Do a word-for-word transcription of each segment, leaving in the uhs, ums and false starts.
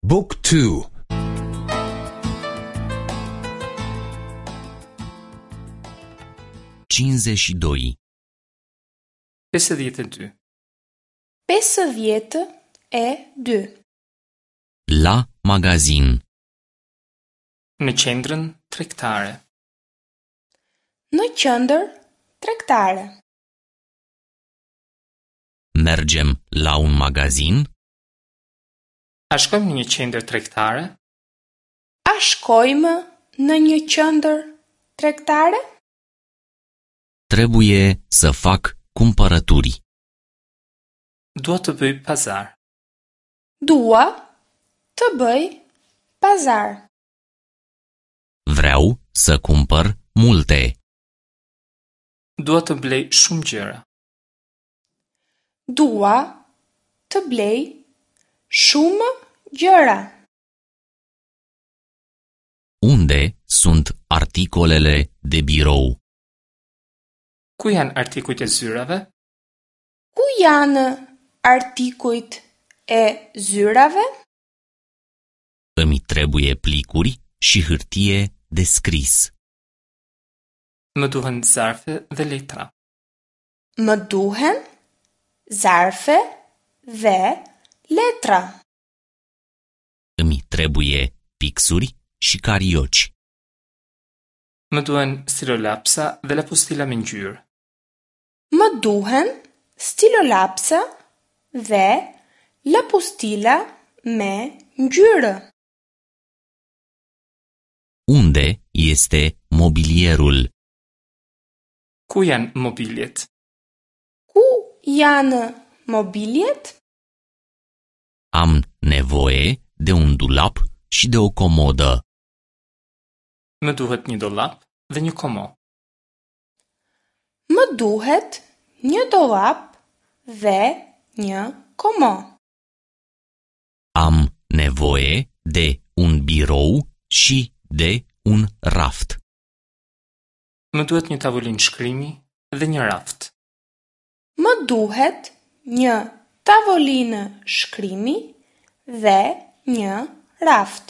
Book two. cincizeci și doi. Pesëdhjetë e dy. Pesëdhjetë e dy. La magazin. Në qendrën tregtare. Në qendër tregtare. Mergem la un magazin? A shkojmë në një qendër tregtare? A shkojmë në një qendër tregtare? Trebuie să fac cumpărături. Dua të bëj pazar. Dua të bëj pazar. Vreau să cumpăr multe. Dua të blej shumë gjëra. Dua të blej shumë gjëra. Unde sunt articolele de birou? Ku janë artikujt e zyrave? Ku janë artikujt e zyrave? Îmi trebuie plicuri și hârtie de scris. Më duhen zarfe dhe letra. Më duhen zarfe dhe letra. Îmi trebuie pixuri și carioci. Më duhen stilolapsa dhe lapustila me ngjyrë. Më duhen stilolapsa dhe lapustila me ngjyrë. Unde este mobilierul? Ku janë mobiljet? Ku janë mobiljet? Am nevoie de un dulap și de o comodă. Më duhet një dollap dhe një komo. Më duhet një dollap dhe një komo. Am nevoie de un birou și de un raft. Më duhet një tavolinë shkrimi dhe një raft. Më duhet një tavolinë shkrimi dhe një raft.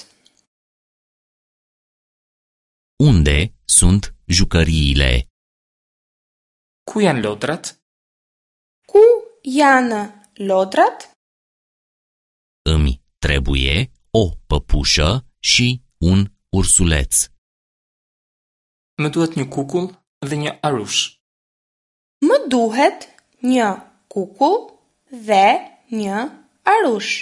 Unde sunt jucăriile? Ku janë lodrat? Ku janë lodrat? Îmi trebuie o păpușă și un ursuleț. Më duhet një kukull dhe një arush. Më duhet një kukull dhe një arush.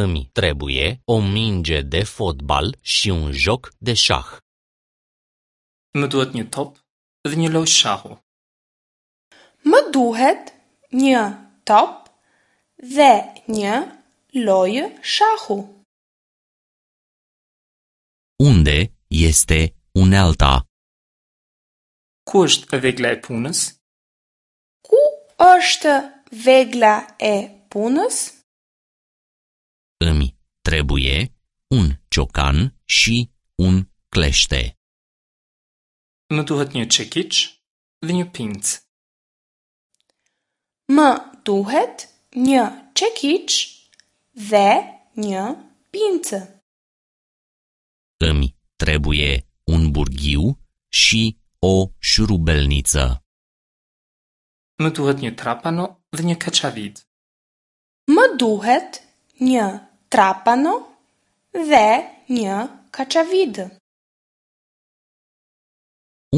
Îmi trebuie o minge de fotbal și un joc de șah. Më duhet një top dhe një lojë shahu. Më duhet një top dhe një lojë shahu. Unde este unealta? Ku është vegla e punës? Ku është vegla e punës? Îmi trebuie un ciocan și un clește. Më duhet një çekiç dhe një pincë. Më duhet një çekiç dhe një pincë. Îmi trebuie un burghiu și o șurubelniță. Më duhet një trapano dhe një kaçavid. Më duhet një trapano dhe një kaçavid.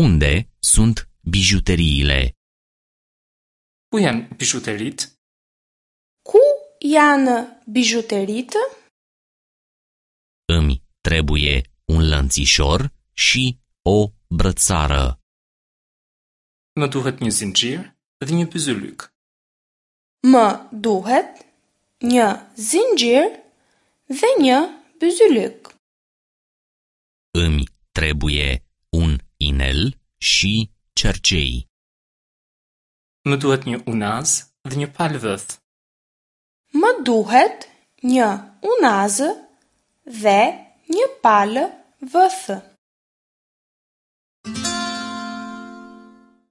Unde sunt bijuteriile? Ku janë bizhuteritë? Ku janë bizhuteritë? Îmi trebuie un lănțișor și o brățară. Më duhet një zinxhir dhe një byzylyk. Më duhet një zinxhir dhe një byzylyk. Îmi trebuie un inel și cercei. Më duhet një unaz dhe një palë vëth. Më duhet një unazë dhe një palë vëthë.